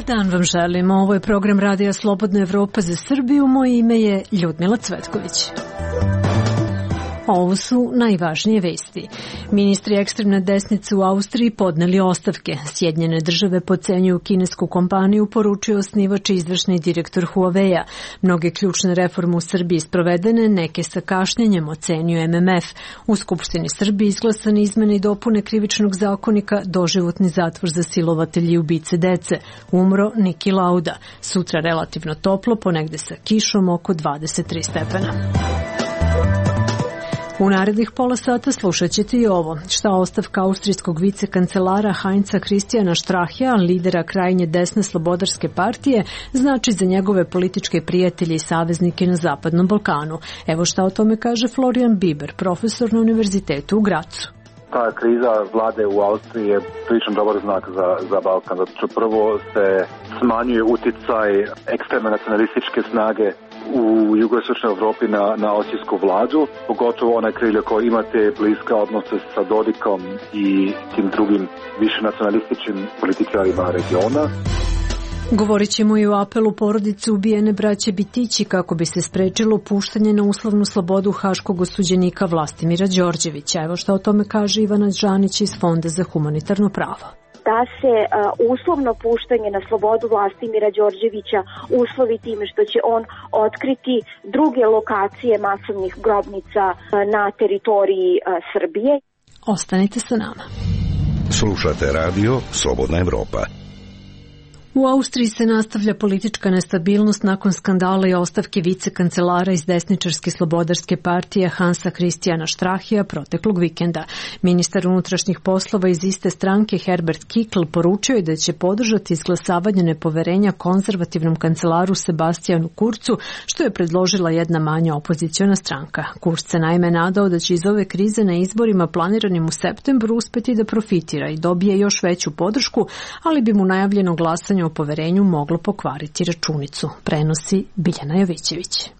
Dan vam želimo. Ovo je program Radija Slobodna Evropa za Srbiju. Moje ime je Ljudmila Cvetković. Ovo su najvažnije vesti. Ministri ekstremne desnice u Austriji podneli ostavke. Sjedinjene države podcenjuju kinesku kompaniju, poručio osnivač i izvršni direktor Huawei-a. Mnoge ključne reforme u Srbiji sprovedene, neke sa kašnjenjem, ocenjuje MMF. U Skupštini Srbije izglasane izmene i dopune krivičnog zakonika, doživotni zatvor za silovatelji i ubice dece. Umro Niki Lauda. Sutra relativno toplo, ponegde sa kišom oko 23 stepena. U narednih pola sata slušat ćete i ovo. Šta ostavka austrijskog vicekancelara Heinza Christiana Strachea, lidera krajnje desne slobodarske partije, znači za njegove političke prijatelje i saveznike na Zapadnom Balkanu. Evo šta o tome kaže Florian Biber, profesor na Univerzitetu u Gracu. Ta kriza vlade u Austriji je prilično dobar znak za Balkan, zato što prvo se smanjuje uticaj ekstremne nacionalističke snage u jugoistočnoj Evropi na austrijsku vladu, pogotovo onaj krilje koji imate bliske odnose sa Dodikom i tim drugim više nacionalističkim političarima regiona. Govorit ćemo i o apelu porodice ubijene braće Bitići kako bi se sprečilo puštanje na uslovnu slobodu haškog osuđenika Vlastimira Đorđevića. Evo što o tome kaže Ivana Đanić iz Fonda za humanitarno pravo. Da se uslovno puštanje na slobodu Vlastimira Đorđevića uslovi time što će on otkriti druge lokacije masovnih grobnica na teritoriji Srbije. Ostanite sa nama. Slušate radio Slobodna Evropa. U Austriji se nastavlja politička nestabilnost nakon skandala i ostavke vicekancelara iz desničarske slobodarske partije Hansa Christiana Strachea proteklog vikenda. Ministar unutrašnjih poslova iz iste stranke Herbert Kickl poručio je da će podržati izglasavanje nepoverenja konzervativnom kancelaru Sebastijanu Kurcu, što je predložila jedna manja opoziciona stranka. Kurz se naime nadao da će iz ove krize na izborima planiranim u septembru uspeti da profitira i dobije još veću podršku, ali bi mu najavljeno glasanje o poverenju moglo pokvariti računicu, prenosi Biljana Jovićević.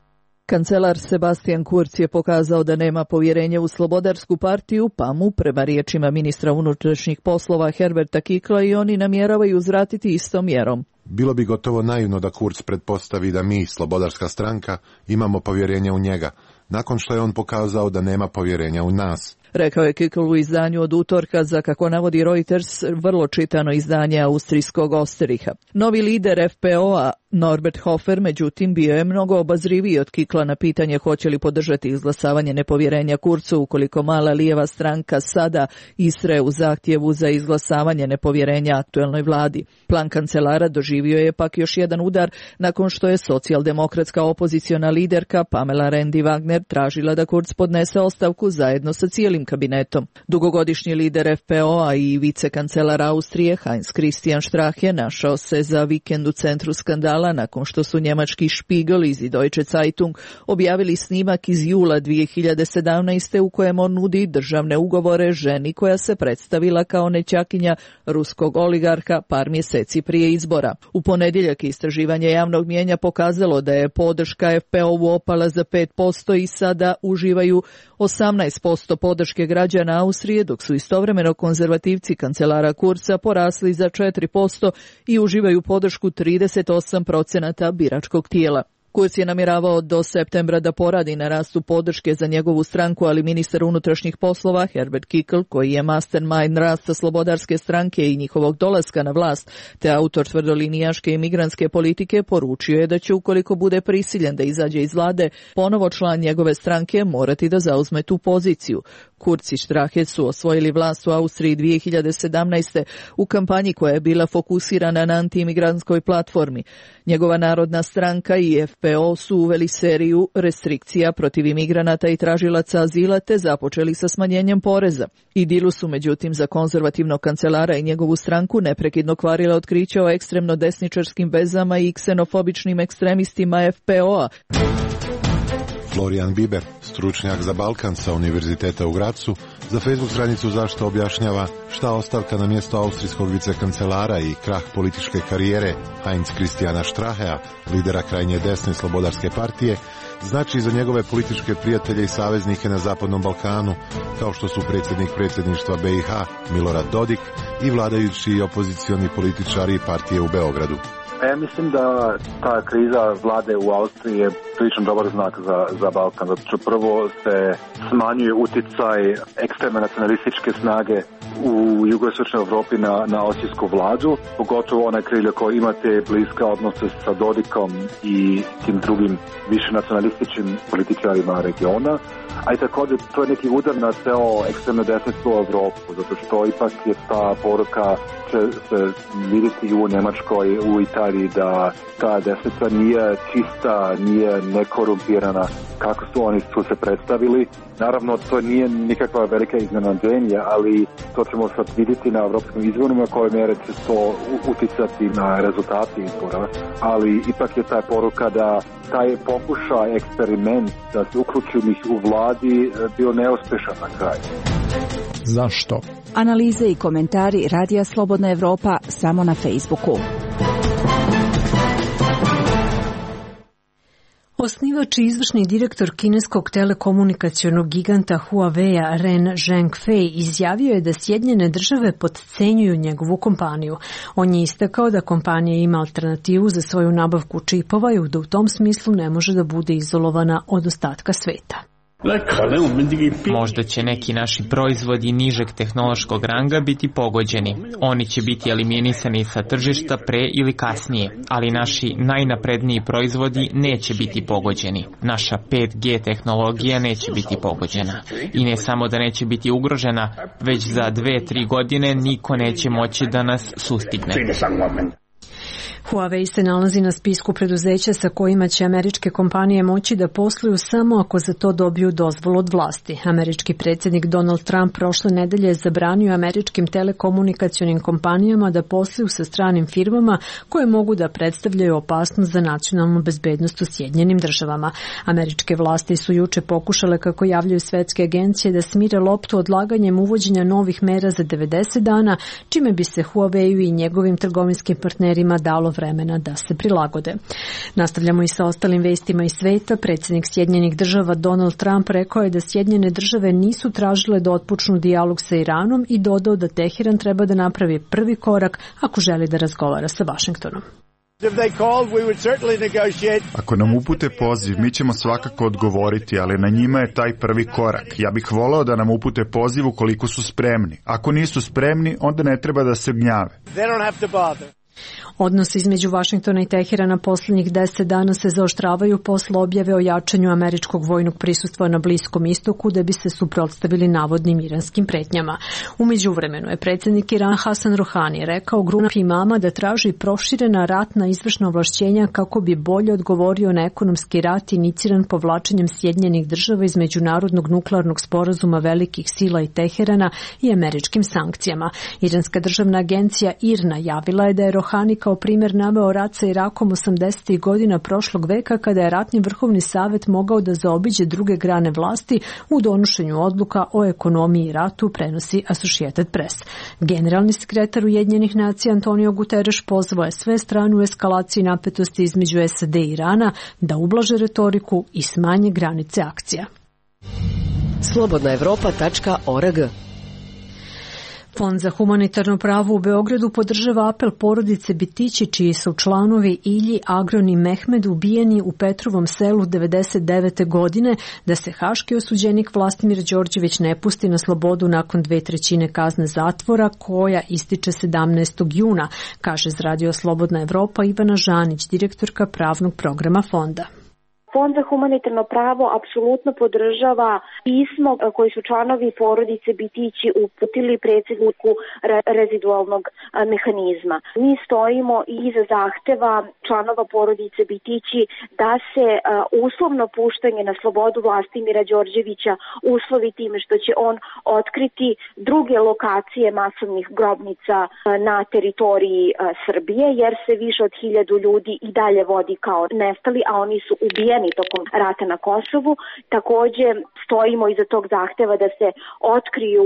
Kancelar Sebastian Kurz je pokazao da nema povjerenja u slobodarsku partiju, pa mu, prema riječima ministra unutrašnjih poslova Herberta Kickla, i oni namjeravaju uzvratiti istom mjerom. Bilo bi gotovo naivno da Kurz pretpostavi da mi, slobodarska stranka, imamo povjerenja u njega, nakon što je on pokazao da nema povjerenja u nas. Rekao je Kickl u izdanju od utorka za, kako navodi Reuters, vrlo čitano izdanje austrijskog Osteriha. Novi lider FPO-a Norbert Hofer, međutim, bio je mnogo obazriviji od Kickla na pitanje hoće li podržati izglasavanje nepovjerenja Kurcu ukoliko mala lijeva stranka sada istraje u zahtjevu za izglasavanje nepovjerenja aktuelnoj vladi. Plan kancelara doživio je pak još jedan udar nakon što je socijaldemokratska opoziciona liderka Pamela Rendi-Wagner tražila da Kurz podnese ostavku zajedno sa cijelim kabinetom. Dugogodišnji lider FPO-a i vicekancelar Austrije Heinz Christian Strache našao se za vikend u centru skandala nakon što su njemački Spiegel i Deutsche Zeitung objavili snimak iz jula 2017. u kojem on nudi državne ugovore ženi koja se predstavila kao nećakinja ruskog oligarha par mjeseci prije izbora. U ponedjeljak istraživanje javnog mnijenja pokazalo da je podrška FPO-u opala za 5% i sada uživaju 18% podrške građana Austrije, dok su istovremeno konzervativci kancelara Kurza porasli za 4% i uživaju podršku 38% biračkog tijela. Kurz je namjeravao do septembra da poradi na rastu podrške za njegovu stranku, ali ministar unutrašnjih poslova Herbert Kickl, koji je mastermind rasta slobodarske stranke i njihovog dolaska na vlast, te autor tvrdolinijaške imigrantske politike, poručio je da će, ukoliko bude prisiljen da izađe iz vlade, ponovo član njegove stranke morati da zauzme tu poziciju. Kurz i Strache su osvojili vlast u Austriji 2017. u kampanji koja je bila fokusirana na antiimigrantskoj platformi. Njegova narodna stranka i FPO su uveli seriju restrikcija protiv imigranata i tražilaca azila te započeli sa smanjenjem poreza. Idilu su međutim za konzervativnog kancelara i njegovu stranku neprekidno kvarila otkrića o ekstremno desničarskim vezama i ksenofobičnim ekstremistima FPO-a. Florian Biber, stručnjak za Balkan sa Univerziteta u Gracu, za Facebook stranicu Zašto objašnjava šta ostavka na mjesto austrijskog vicekancelara i krah političke karijere Heinz Christiana Strachea, lidera krajnje desne slobodarske partije, znači za njegove političke prijatelje i saveznike na Zapadnom Balkanu, kao što su predsjedništva BiH Milorad Dodik i vladajući i opozicioni političari i partije u Beogradu. Ja mislim da ta kriza vlade u Austriji je prilično dobar znak za Balkan, zato što prvo se smanjuje uticaj ekstremne nacionalističke snage u jugoistočnoj Evropi na austrijsku vladu, pogotovo onaj krilje koji imate bliske odnose sa Dodikom i tim drugim više nacionalističkim političarima regiona, a i također to je neki udar na ceo ekstremno desnicu u Evropu, zato što ipak je ta poruka će se vidjeti u Njemačkoj, u Italiji, da ta desnica nije čista, nije nekorumpirana kako su oni tu se predstavili. Naravno, to nije nikakva velika iznenađenja, ali to ćemo sad vidjeti na evropskim izborima koje mjere će to uticati na rezultati izbora, ali ipak je ta poruka da taj pokušaj, eksperiment da se uključuju u vladi bio neuspješan na kraju. Zašto? Analize i komentari Radija Slobodna Evropa samo na Facebooku. Osnivač i izvršni direktor kineskog telekomunikacionog giganta Huawei-a Ren Zhengfei izjavio je da Sjedinjene države potcenjuju njegovu kompaniju. On je istakao da kompanija ima alternativu za svoju nabavku čipova i da u tom smislu ne može da bude izolovana od ostatka sveta. Možda će neki naši proizvodi nižeg tehnološkog ranga biti pogođeni. Oni će biti eliminisani sa tržišta pre ili kasnije, ali naši najnapredniji proizvodi neće biti pogođeni. Naša 5G tehnologija neće biti pogođena. I ne samo da neće biti ugrožena, već za 2-3 godine niko neće moći da nas sustigne. Huawei se nalazi na spisku preduzeća sa kojima će američke kompanije moći da posluju samo ako za to dobiju dozvolu od vlasti. Američki predsjednik Donald Trump prošle nedelje je zabranio američkim telekomunikacionim kompanijama da posluju sa stranim firmama koje mogu da predstavljaju opasnost za nacionalnu bezbednost u Sjedinjenim državama. Američke vlasti su juče pokušale, kako javljaju svetske agencije, da smire loptu odlaganjem uvođenja novih mera za 90 dana, čime bi se Huawei i njegovim trgovinskim partnerima dalo vremena da se prilagode. Nastavljamo i sa ostalim vestima iz sveta. Predsjednik Sjedinjenih država Donald Trump rekao je da Sjedinjene države nisu tražile da otpočnu dijalog sa Iranom i dodao da Teheran treba da napravi prvi korak ako želi da razgovara sa Vašingtonom. Ako nam upute poziv, mi ćemo svakako odgovoriti, ali na njima je taj prvi korak. Ja bih voleo da nam upute poziv ukoliko su spremni. Ako nisu spremni, onda ne treba da se gnjave. Odnosi između Vašingtona i Teherana posljednjih 10 dana se zaoštravaju posle objave o jačanju američkog vojnog prisustva na Bliskom istoku da bi se suprotstavili navodnim iranskim pretnjama. U međuvremenu je predsjednik Irana Hasan Rohani rekao grupi imama da traži proširena ratna izvršna ovlašćenja kako bi bolje odgovorio na ekonomski rat iniciran povlačenjem Sjedinjenih država iz međunarodnog nuklearnog sporazuma velikih sila i Teherana i američkim sankcijama. Iranska državna agencija IRNA javila je da je Rohani kao primjer naveo rat sa Irakom 80. godina prošlog veka, kada je ratni vrhovni savjet mogao da zaobiđe druge grane vlasti u donošenju odluka o ekonomiji i ratu, prenosi Associated Press. Generalni sekretar Ujedinjenih nacija Antonio Guterres pozvao je sve strane u eskalaciji napetosti između SAD i Irana da ublaže retoriku i smanje granice akcija. Slobodnaevropa.org. Fond za humanitarno pravo u Beogradu podržava apel porodice Bitići, čiji su članovi Ilji, Agron i Mehmed ubijeni u Petrovom selu 99. godine, da se haški osuđenik Vlastimir Đorđević ne pusti na slobodu nakon 2/3 kazne zatvora, koja ističe 17. juna, kaže za Radio Slobodna Evropa Ivana Žanić, direktorka pravnog programa fonda. Fond za humanitarno pravo apsolutno podržava pismo koji su članovi porodice Bitići uputili predsjedniku rezidualnog mehanizma. Mi stojimo i iza zahteva članova porodice Bitići da se uslovno puštanje na slobodu Vlastimira Đorđevića uslovi time što će on otkriti druge lokacije masovnih grobnica na teritoriji Srbije, jer se više od 1000 ljudi i dalje vodi kao nestali, a oni su ubijeni ubijeni tokom rata na Kosovu. Takođe stojimo iza tog zahteva da se otkriju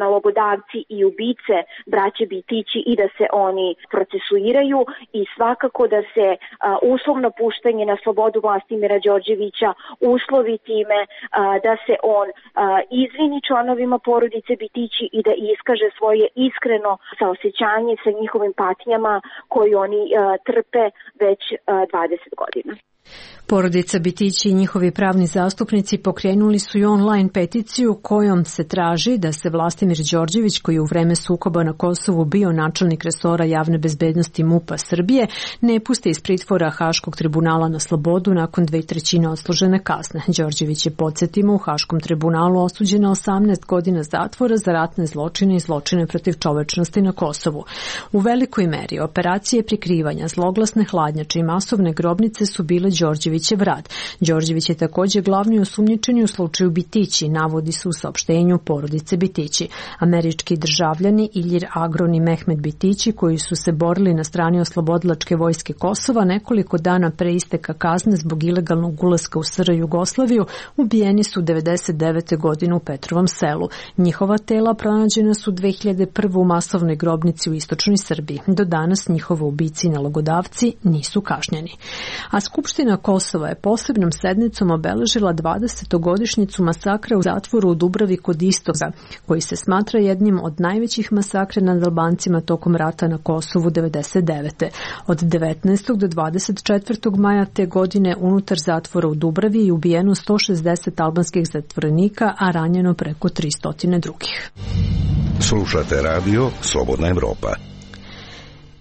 nalogodavci i ubice braće Bitići i da se oni procesuiraju i svakako da se uslovno puštanje na slobodu Vlastimira Đorđevića uslovi time da se on izvini članovima porodice Bitići i da iskaže svoje iskreno saosećanje sa njihovim patnjama koji oni trpe već 20 godina. Porodica Bitići i njihovi pravni zastupnici pokrenuli su i online peticiju kojom se traži da se Vlastimir Đorđević, koji je u vreme sukoba na Kosovu bio načelnik resora javne bezbednosti MUP-a Srbije, ne puste iz pritvora Haškog tribunala na slobodu nakon 2/3 odslužene kazne. Đorđević je, podsjetimo, u Haškom tribunalu osuđen na 18 godina zatvora za ratne zločine i zločine protiv čovečnosti na Kosovu. U velikoj meri operacije prikrivanja, zloglasne hladnjače i masovne grobnice su bile Đorđevićev rad. Đorđević je također glavni osumnjičeni u slučaju Bitići, navodi se u saopštenju porodice Bitići. Američki državljani Iljir Agron i Mehmet Bitići, koji su se borili na strani oslobodilačke vojske Kosova, nekoliko dana pre isteka kazne zbog ilegalnog ulaska u SR Jugoslaviju, ubijeni su 99. godine u Petrovom selu. Njihova tela pronađena su 2001. u masovnoj grobnici u istočnoj Srbiji. Do danas njihovi ubici i nalogodavci nisu kažnjeni. A Skupština Kosova je posebnom sednicom obeležila 20-godišnjicu masakra u zatvoru u Dubravi kod Istoka, koji se smatra jednim od najvećih masakra nad Albancima tokom rata na Kosovu 1999. Od 19. do 24. maja te godine unutar zatvora u Dubravi je ubijeno 160 albanskih zatvorenika, a ranjeno preko 300 drugih. Slušate radio Slobodna Evropa.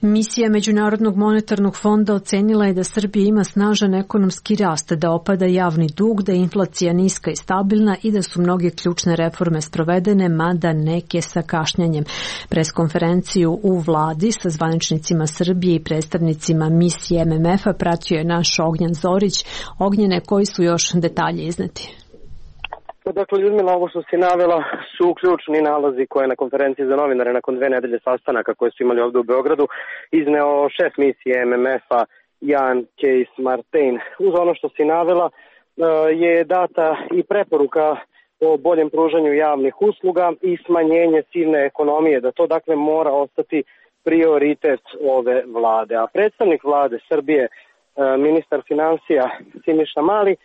Misija Međunarodnog monetarnog fonda ocenila je da Srbija ima snažan ekonomski rast, da opada javni dug, da je inflacija niska i stabilna i da su mnoge ključne reforme sprovedene, mada neke sa kašnjanjem. Preskonferenciju u vladi sa zvaničnicima Srbije i predstavnicima misije MMF-a pratio je naš Ognjen Zorić. Ognjene, koji su još detalje izneti? Dakle, Ljudmila, ovo što si navela su ključni nalazi koje na konferenciji za novinare nakon 2 nedelje sastanaka koje su imali ovdje u Beogradu izneo šef misije MMF-a Jan Kees Martin. Uz ono što si navela je data i preporuka o boljem pružanju javnih usluga i smanjenje sivne ekonomije, da to dakle mora ostati prioritet ove vlade. A predstavnik vlade Srbije, ministar financija Siniša Mali,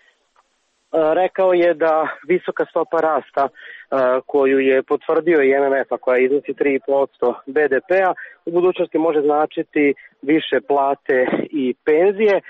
rekao je da visoka stopa rasta koju je potvrdio i MMF-a, koja iznosi 3,5% BDP-a, u budućnosti može značiti više plate i penzije.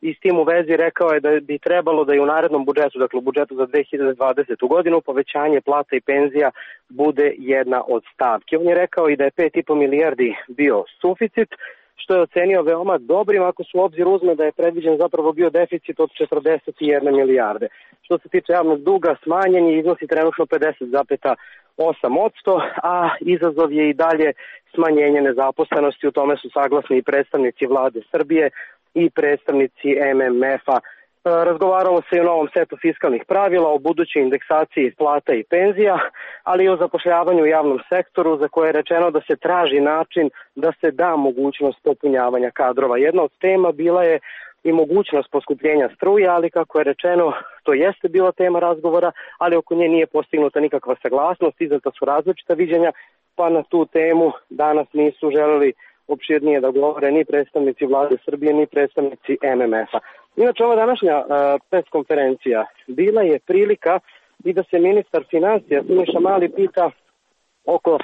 I s tim u vezi rekao je da bi trebalo da i u narednom budžetu, dakle u budžetu za 2020. godinu, povećanje plata i penzija bude jedna od stavki. On je rekao i da je 5,5 milijardi bio suficit, što je ocenio veoma dobrim ako se u obzir uzme da je predviđen zapravo bio deficit od 41 milijarde. Što se tiče javnog duga, smanjen je, iznosi trenutno 50,8%, a izazov je i dalje smanjenje nezaposlenosti. U tome su saglasni i predstavnici vlade Srbije i predstavnici MMF-a. Razgovaralo se i o novom setu fiskalnih pravila, o budućoj indeksaciji plata i penzija, ali i o zapošljavanju u javnom sektoru, za koje je rečeno da se traži način da se da mogućnost popunjavanja kadrova. Jedna od tema bila je i mogućnost poskupljenja struje, ali kako je rečeno, to jeste bila tema razgovora, ali oko nje nije postignuta nikakva saglasnost, izdata su različita viđenja, pa na tu temu danas nisu želeli opširnije da govore ni predstavnici vlade Srbije, ni predstavnici MMF-a. Inače, ova današnja preskonferencija bila je prilika i da se ministar financija Siniša Mali pita oko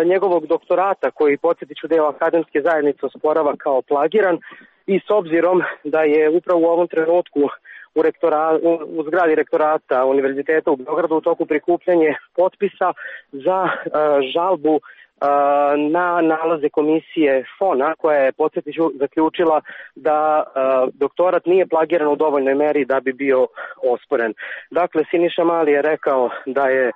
njegovog doktorata, koji, podsjetit ću, deo akademske zajednice osporava kao plagiran, i s obzirom da je upravo u ovom trenutku u zgradi rektorata Univerziteta u Beogradu u toku prikupljanje potpisa za žalbu na nalaze komisije FON-a, koja je, podsjetiću, zaključila da doktorat nije plagiran u dovoljnoj meri da bi bio osporen. Dakle, Siniša Mali je rekao da je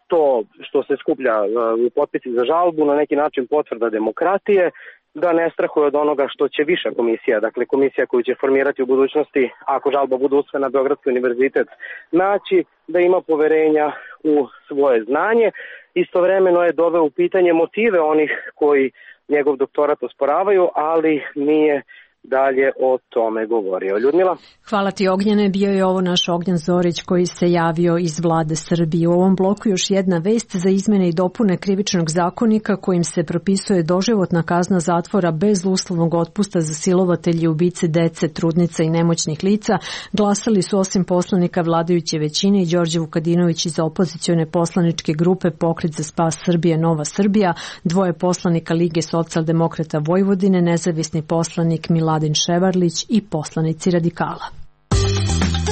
to što se skuplja u potpisi za žalbu na neki način potvrda demokratije, da ne strahuje od onoga što će viša komisija, dakle komisija koju će formirati u budućnosti, ako žalba bude usvojena, Beogradski univerzitet naći, da ima poverenja u svoje znanje. Istovremeno je doveo u pitanje motive onih koji njegov doktorat osporavaju, ali nije dalje o tome govorio. Ljudmila? Hvala ti, Ognjene. Bio je ovo naš Ognjen Zorić koji se javio iz vlade Srbije. U ovom bloku još jedna vest za izmene i dopune Krivičnog zakonika kojim se propisuje doživotna kazna zatvora bez uslovnog otpusta za silovatelje i ubice dece, trudnica i nemoćnih lica. Glasali su osim poslanika vladajuće većine i Đorđe Vukadinović iz opozicione poslaničke grupe Pokret za spas Srbije Nova Srbija, 2 poslanika Lige socijaldemokrata Vojvodine, nezavisni poslanik Miladin Ševarlić i poslanici Radikala.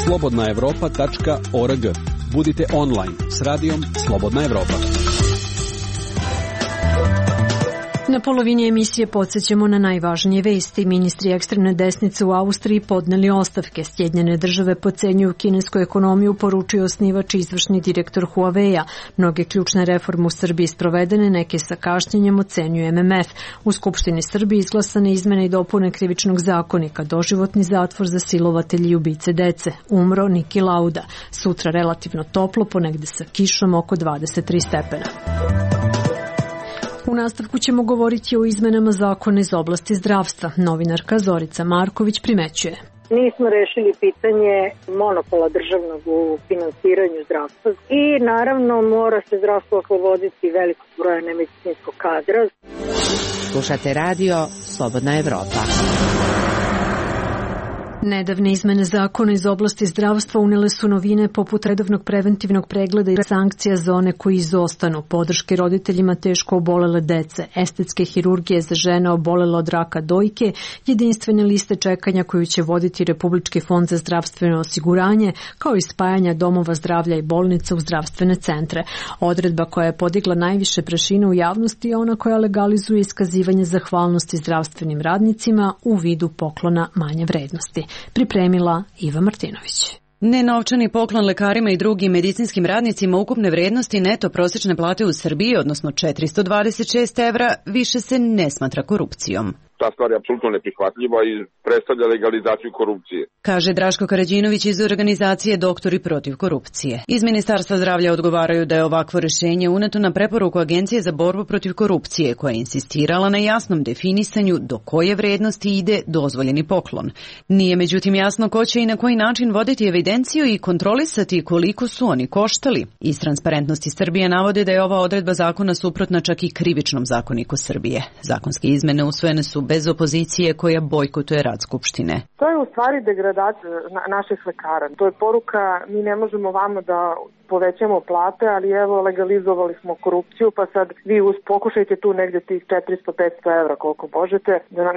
Slobodnaevropa.org. Budite online s radijom Slobodna Evropa. Na polovini emisije podsjećamo na najvažnije vesti. Ministri ekstremne desnice u Austriji podneli ostavke. Sjedinjene države podcenjuju kinesku ekonomiju, poručuje osnivač i izvršni direktor Huawei-a. Mnoge ključne reforme u Srbiji sprovedene, neke sa kašnjenjem, ocenjuje MMF. U Skupštini Srbije izglasane izmene i dopune Krivičnog zakonika, doživotni zatvor za silovatelje i ubice dece. Umro Niki Lauda. Sutra relativno toplo, ponegde sa kišom oko 23 stepena. U nastavku ćemo govoriti o izmenama zakona iz oblasti zdravstva. Novinarka Zorica Marković primećuje. Nismo rešili pitanje monopola državnog u finansiranju zdravstva i naravno mora se zdravstvo osloboditi velikog broja nemedicinskog kadra. Slušate radio Slobodna Evropa. Nedavne izmene zakona iz oblasti zdravstva unele su novine poput redovnog preventivnog pregleda i sankcija za one koji izostanu, podrške roditeljima teško obolele dece, estetske hirurgije za žene obolele od raka dojke, jedinstvene liste čekanja koju će voditi Republički fond za zdravstveno osiguranje, kao i spajanja domova zdravlja i bolnica u zdravstvene centre. Odredba koja je podigla najviše prašine u javnosti je ona koja legalizuje iskazivanje zahvalnosti zdravstvenim radnicima u vidu poklona manje vrednosti. Pripremila Iva Martinović. Nenovčani poklon lekarima i drugim medicinskim radnicima ukupne vrednosti neto prosječne plate u Srbiji, odnosno 426 evra, više se ne smatra korupcijom. Ta stvar je apsolutno neprihvatljiva i predstavlja legalizaciju korupcije. Kaže Draško Karađinović iz organizacije Doktori protiv korupcije. Iz Ministarstva zdravlja odgovaraju da je ovakvo rješenje uneto na preporuku Agencije za borbu protiv korupcije, koja je insistirala na jasnom definisanju do koje vrednosti ide dozvoljeni poklon. Nije međutim jasno ko će i na koji način voditi evidenciju i kontrolisati koliko su oni koštali. Iz Transparentnosti Srbije navode da je ova odredba zakona suprotna čak i Krivičnom zakoniku Srbije. Zakonske izmene usvojene su bez opozicije koja bojkotuje rad Skupštine. To je u stvari degradacija naših lekara. To je poruka, mi ne možemo vama da povećamo plate, ali evo legalizovali smo korupciju, pa sad vi pokušajte tu negdje tih 400-500 evra koliko možete.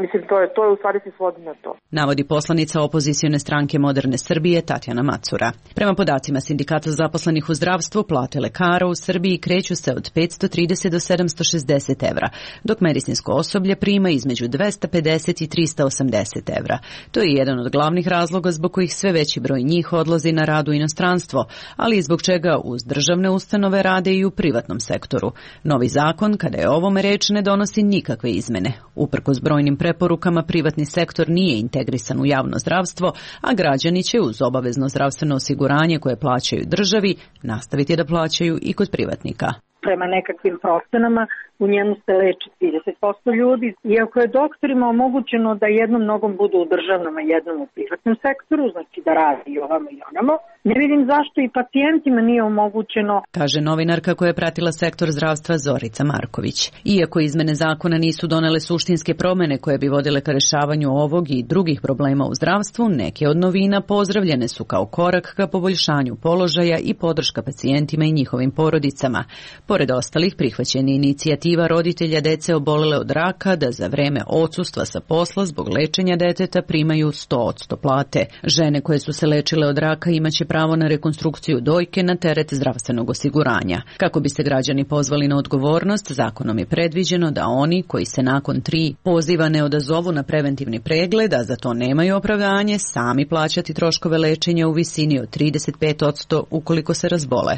Mislim, to je u stvari se svodi na to. Navodi poslanica opozicione stranke Moderne Srbije Tatjana Macura. Prema podacima Sindikata zaposlenih u zdravstvu, plate lekara u Srbiji kreću se od 530 do 760 evra, dok medicinsko osoblje prima između 250 i 380 evra. To je jedan od glavnih razloga zbog kojih sve veći broj njih odlazi na rad u inostranstvo, ali i zbog čega uz državne ustanove rade i u privatnom sektoru. Novi zakon, kada je o ovome reč, ne donosi nikakve izmene. Uprkos brojnim preporukama, privatni sektor nije integrisan u javno zdravstvo, a građani će uz obavezno zdravstveno osiguranje koje plaćaju državi nastaviti da plaćaju i kod privatnika. Prema nekakvim procenama u njemu se leči 30% ljudi. Iako je doktorima omogućeno da jednom nogom budu u državnom, a jednom u privatnom sektoru, znači da radi i ovamo i onamo, ne vidim zašto i pacijentima nije omogućeno. Kaže novinarka koja je pratila sektor zdravstva Zorica Marković. Iako izmene zakona nisu donele suštinske promjene koje bi vodile ka rešavanju ovog i drugih problema u zdravstvu, neke od novina pozdravljene su kao korak ka poboljšanju položaja i podrška pacijentima i njihovim porodicama. Pored ostalih, prihvaćen je inicijativa roditelja dece obolele od raka da za vreme odsustva sa posla zbog lečenja deteta primaju 100% plate. Žene koje su se lečile od raka imaće pravo na rekonstrukciju dojke na teret zdravstvenog osiguranja. Kako bi se građani pozvali na odgovornost, zakonom je predviđeno da oni koji se nakon 3 poziva ne odazovu na preventivni pregled, a za to nemaju opravdanje, sami plaćati troškove lečenja u visini od 35% ukoliko se razbole.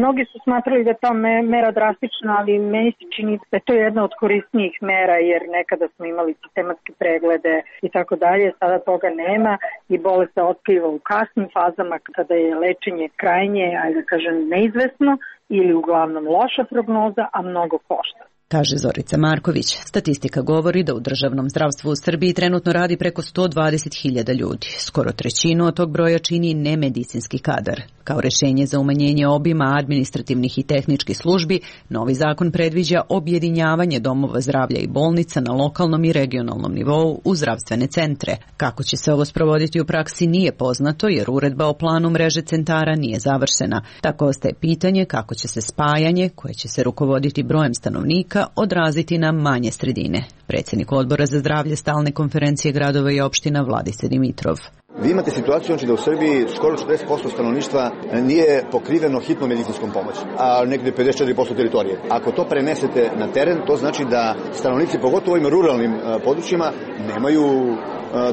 Mnogi su smatrali da je ta mera drastična, ali meni se čini da je to jedna od korisnijih mera, jer nekada smo imali sistematske preglede i tako dalje, sada toga nema i bolest se otkriva u kasnim fazama kada je lečenje krajnje, ajde da kažem, neizvesno ili uglavnom loša prognoza, a mnogo košta. kaže Zorica Marković. Statistika govori da u državnom zdravstvu u Srbiji trenutno radi preko 120.000 ljudi. Skoro trećinu od tog broja čini nemedicinski kadar. Kao rešenje za umanjenje obima administrativnih i tehničkih službi, novi zakon predviđa objedinjavanje domova zdravlja i bolnica na lokalnom i regionalnom nivou u zdravstvene centre. Kako će se ovo sprovoditi u praksi nije poznato jer uredba o planu mreže centara nije završena. Tako ostaje pitanje kako će se spajanje, koje će se rukovoditi brojem stanovnika, odraziti na manje sredine. Predsjednik Odbora za zdravlje Stalne konferencije gradova i opština Vladise Dimitrov. Vi imate situaciju da u Srbiji skoro 40% stanovništva nije pokriveno hitnom medicinskom pomoći, a negde 54% teritorije. Ako to prenesete na teren, to znači da stanovnici, pogotovo ovim ruralnim područjima, nemaju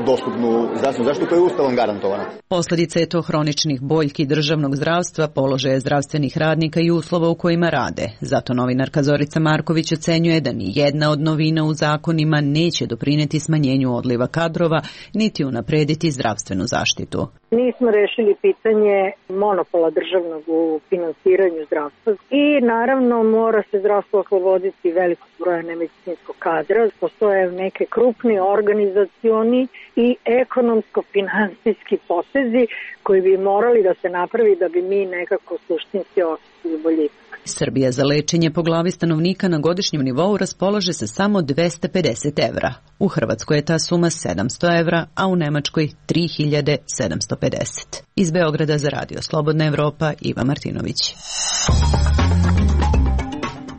dostupnu zdravstvenu zaštitu koja je Ustavom garantovana. Posljedica je to hroničnih boljki državnog zdravstva, položaja zdravstvenih radnika i uslova u kojima rade. Zato novinarka Zorica Marković ocenjuje da ni jedna od novina u zakonima neće doprineti smanjenju odliva kadrova, niti unaprediti zdravstvenu zaštitu. Nismo rešili pitanje monopola državnog u finansiranju zdravstva i naravno mora se zdravstvo osloboditi velikog broja nemedicinskog kadra. Postoje neke krupni organizacioni i ekonomsko-finansijski potezi koji bi morali da se napravi da bi mi nekako suštinski ostali boljitak. Srbija za lečenje po glavi stanovnika na godišnjem nivou raspolaže se samo 250 evra. U Hrvatskoj je ta suma 700 evra, a u Nemačkoj 3750. Iz Beograda za Radio Slobodna Evropa, Iva Martinović.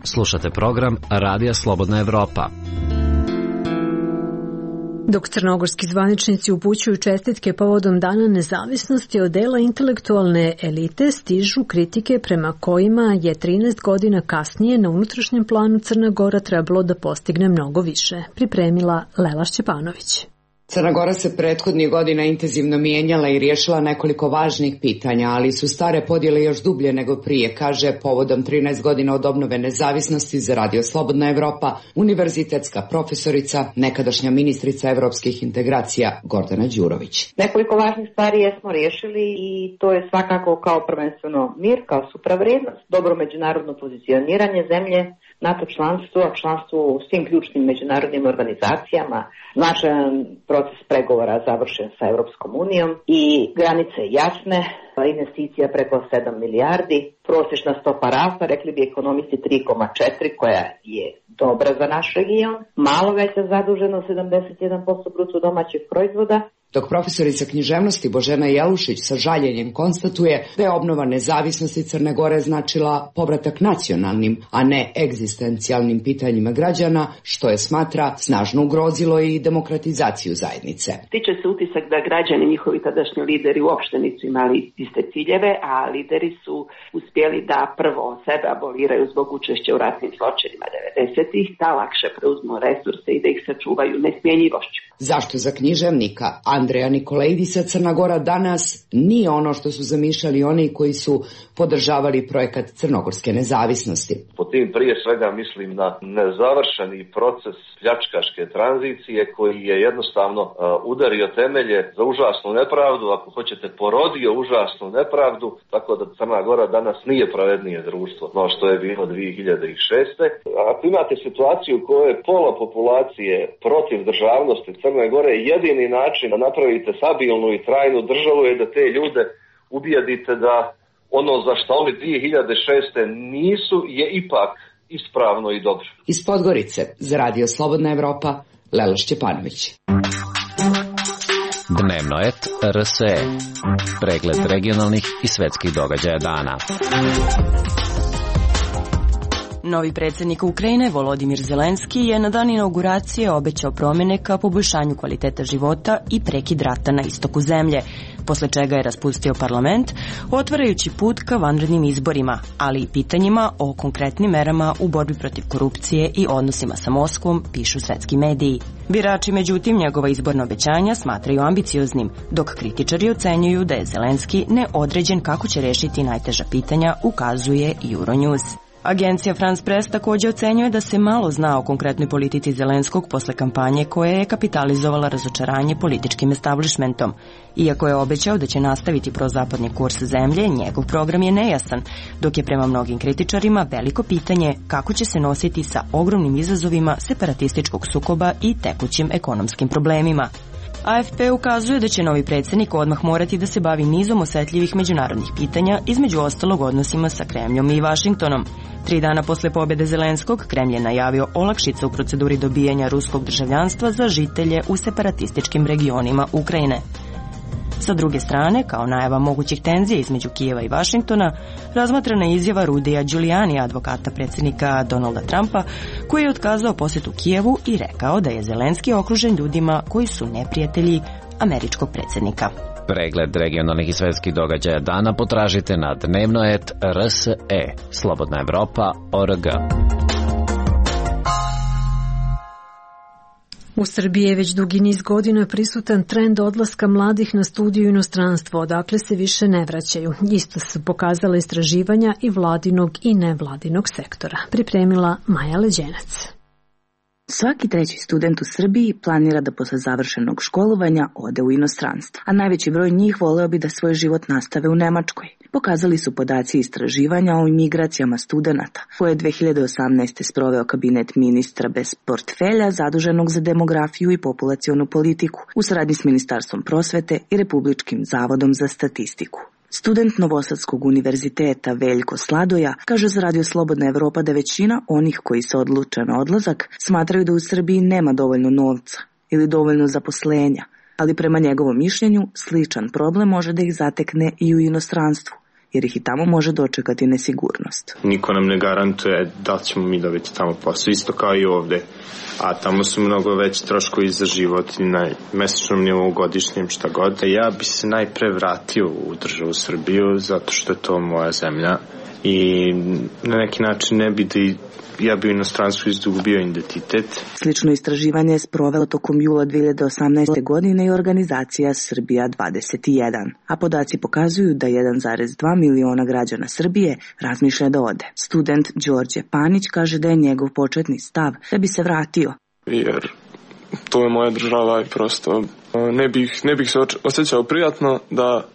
Slušate program Radija Slobodna Evropa. Dok crnogorski zvaničnici upućuju čestitke povodom Dana nezavisnosti, od dela intelektualne elite stižu kritike prema kojima je 13 godina kasnije na unutrašnjem planu Crna Gora trebalo da postigne mnogo više. Pripremila Lela Šćepanović. Crna Gora se prethodnih godina intenzivno mijenjala i riješila nekoliko važnih pitanja, ali su stare podjele još dublje nego prije, kaže povodom 13 godina od obnove nezavisnosti za Radio Slobodna Evropa univerzitetska profesorica, nekadašnja ministrica evropskih integracija Gordana Đurović. Nekoliko važnih stvari jesmo riješili i to je svakako kao prvenstveno mir, kao supravrednost, dobro međunarodno pozicioniranje zemlje, NATO članstvo, članstvo u svim ključnim međunarodnim organizacijama, značajan proces pregovora završen sa Europskom unijom i granice jasne, investicija preko 7 milijardi, prosječna stopa rasta, rekli bi ekonomisti 3,4 koja je dobra za naš region, malo veća zaduženost 71% bruto domaćeg proizvoda. Dok profesorica književnosti Božena Jelušić sa žaljenjem konstatuje da je obnova nezavisnosti Crne Gore značila povratak nacionalnim, a ne egzistencijalnim pitanjima građana, što je smatra snažno ugrozilo i demokratizaciju zajednice. Stiče se utisak da građani, njihovi tadašnji lideri uopšte nisu imali iste ciljeve, a lideri su uspjeli da prvo sebe aboliraju zbog učešća u ratnim zločinima 90-ih, da lakše preuzmu resurse i da ih sačuvaju nesmjenjivošću. Zašto za književnika Andreja Nikolejidisa Crna Gora danas nije ono što su zamišljali oni koji su podržavali projekat crnogorske nezavisnosti? Po tim prije svega mislim na nezavršeni proces pljačkaške tranzicije koji je jednostavno udario temelje za užasnu nepravdu, ako hoćete porodio užasnu nepravdu, tako da Crna Gora danas nije pravednije društvo no što je bilo 2006. Ako imate situaciju u kojoj je pola populacije protiv državnosti Crne Gore, jedini način da napravite stabilnu i trajnu državu je da te ljude ubijedite da ono za što oni 2006. nisu je ipak ispravno i dobro. Iz Podgorice za Radio Slobodna Evropa, Lela Šćepanović. Dnevno et RSE. Pregled regionalnih i svetskih događaja dana. Novi predsjednik Ukrajine Volodimir Zelenski je na dan inauguracije obećao promjene ka poboljšanju kvaliteta života i prekid rata na istoku zemlje, posle čega je raspustio parlament, otvarajući put ka vanrednim izborima, ali i pitanjima o konkretnim merama u borbi protiv korupcije i odnosima sa Moskvom, pišu svetski mediji. Birači, međutim, njegova izborna obećanja smatraju ambicioznim, dok kritičari ocenjuju da je Zelenski neodređen kako će rešiti najteža pitanja, ukazuje Euronews. Agencija France Press također ocenjuje da se malo zna o konkretnoj politici Zelenskog posle kampanje koja je kapitalizovala razočaranje političkim establishmentom. Iako je obećao da će nastaviti prozapadni kurs zemlje, njegov program je nejasan, dok je prema mnogim kritičarima veliko pitanje kako će se nositi sa ogromnim izazovima separatističkog sukoba i tekućim ekonomskim problemima. AFP ukazuje da će novi predsjednik odmah morati da se bavi nizom osetljivih međunarodnih pitanja, između ostalog odnosima sa Kremljom i Vašingtonom. 3 dana posle pobjede Zelenskog, Kremlj je najavio olakšice u proceduri dobijanja ruskog državljanstva za žitelje u separatističkim regionima Ukrajine. Sa druge strane, kao najava mogućih tenzija između Kijeva i Vašingtona, razmatrana je izjava Rudija Giuliani, advokata predsjednika Donalda Trumpa, koji je otkazao posjetu Kijevu i rekao da je Zelenski okružen ljudima koji su neprijatelji američkog predsjednika. Pregled regionalnih i svetskih događaja dana potražite na dnevno.rse, slobodnaevropa.org. U Srbiji je već dugi niz godina prisutan trend odlaska mladih na studiju u inostranstvo, odakle se više ne vraćaju. Isto su pokazala istraživanja i vladinog i nevladinog sektora. Pripremila Maja Leđenac. Svaki 3. student u Srbiji planira da posle završenog školovanja ode u inostranstvo, a najveći broj njih voleo bi da svoj život nastave u Nemačkoj. Pokazali su podaci istraživanja o imigracijama studenata, koje je 2018. sproveo kabinet ministra bez portfelja zaduženog za demografiju i populacionu politiku u saradnji s Ministarstvom prosvete i Republičkim zavodom za statistiku. Student Novosadskog univerziteta Veljko Sladoja kaže za Radio Slobodna Evropa da većina onih koji se odluče na odlazak smatraju da u Srbiji nema dovoljno novca ili dovoljno zaposlenja, ali prema njegovom mišljenju sličan problem može da ih zatekne i u inostranstvu, jer ih i tamo može dočekati nesigurnost. Niko nam ne garantuje da ćemo mi dobiti tamo posao, isto kao i ovde. A tamo su mnogo veći troškovi za život i na mesečnom nivou, godišnjem, šta god. Ja bi se najpre vratio u državu Srbiju, zato što je to moja zemlja i na neki način ne bi da ja bi u inostranstvu izgubio identitet. Slično istraživanje je sprovela tokom jula 2018. godine i organizacija Srbija 21, a podaci pokazuju da 1,2 miliona građana Srbije razmišlja da ode. Student Đorđe Panić kaže da je njegov početni stav da bi se vratio. Jer to je moja država i prosto ne bih se osjećao prijatno da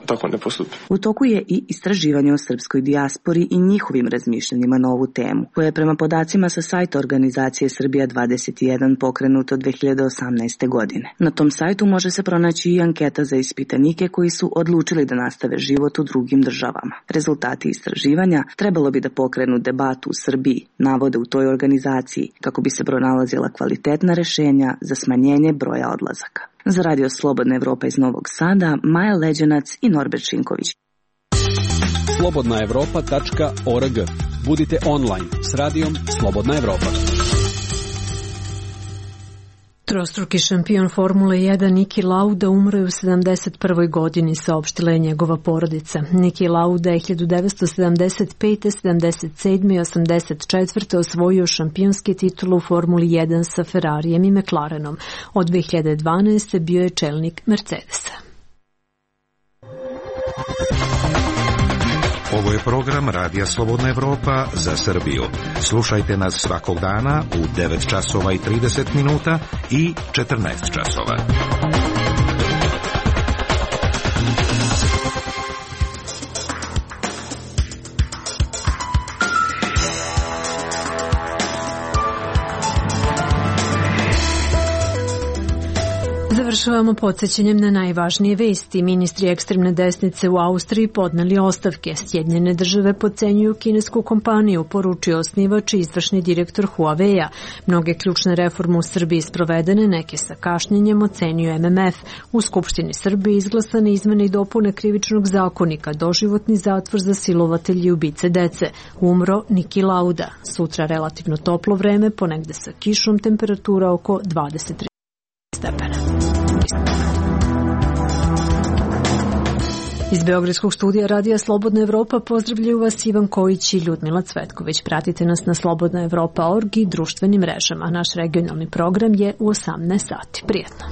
tako ne postupi. U toku je i istraživanje o srpskoj dijaspori i njihovim razmišljanjima na ovu temu, koje je prema podacima sa sajta organizacije Srbija 21 pokrenuto 2018. godine. Na tom sajtu može se pronaći i anketa za ispitanike koji su odlučili da nastave život u drugim državama. Rezultati istraživanja trebalo bi da pokrenu debatu u Srbiji, navode u toj organizaciji, kako bi se pronalazila kvalitetna rešenja za smanjenje broja odlazaka. Za Radio Slobodna Evropa iz Novog Sada, Maja Leđenac i Norbert Šinković. slobodnaevropa.org. Budite online s radijom Slobodna Evropa. Trostruki šampion Formule 1 Niki Lauda umro je u 71. godini, saopštila je njegova porodica. Niki Lauda je 1975., 77. i 84. osvojio šampionski titul u Formuli 1 sa Ferrarijem i McLarenom. Od 2012. bio je čelnik Mercedesa. Ovo je program Radija Slobodna Evropa za Srbiju. Slušajte nas svakog dana u 9 časova i 30 minuta i 14 časova. Završavamo podsjećanjem na najvažnije vesti. Ministri ekstremne desnice u Austriji podneli ostavke. Sjedinjene države podcenjuju kinesku kompaniju, poručio osnivač i izvršni direktor Huawei-a. Mnoge ključne reforme u Srbiji sprovedene, neke sa kašnjenjem, ocenjuje MMF. U Skupštini Srbije izglasane izmene i dopune krivičnog zakonika, doživotni zatvor za silovatelji i ubice dece. Umro Niki Lauda. Sutra relativno toplo vreme, ponegde sa kišom, temperatura oko 23 stepena. Iz Beogradskog studija Radija Slobodna Evropa pozdravljaju vas Ivan Kojić i Ljudmila Cvetković. Pratite nas na slobodnaevropa.org i društvenim mrežama. Naš regionalni program je u 18 sati. Prijetno.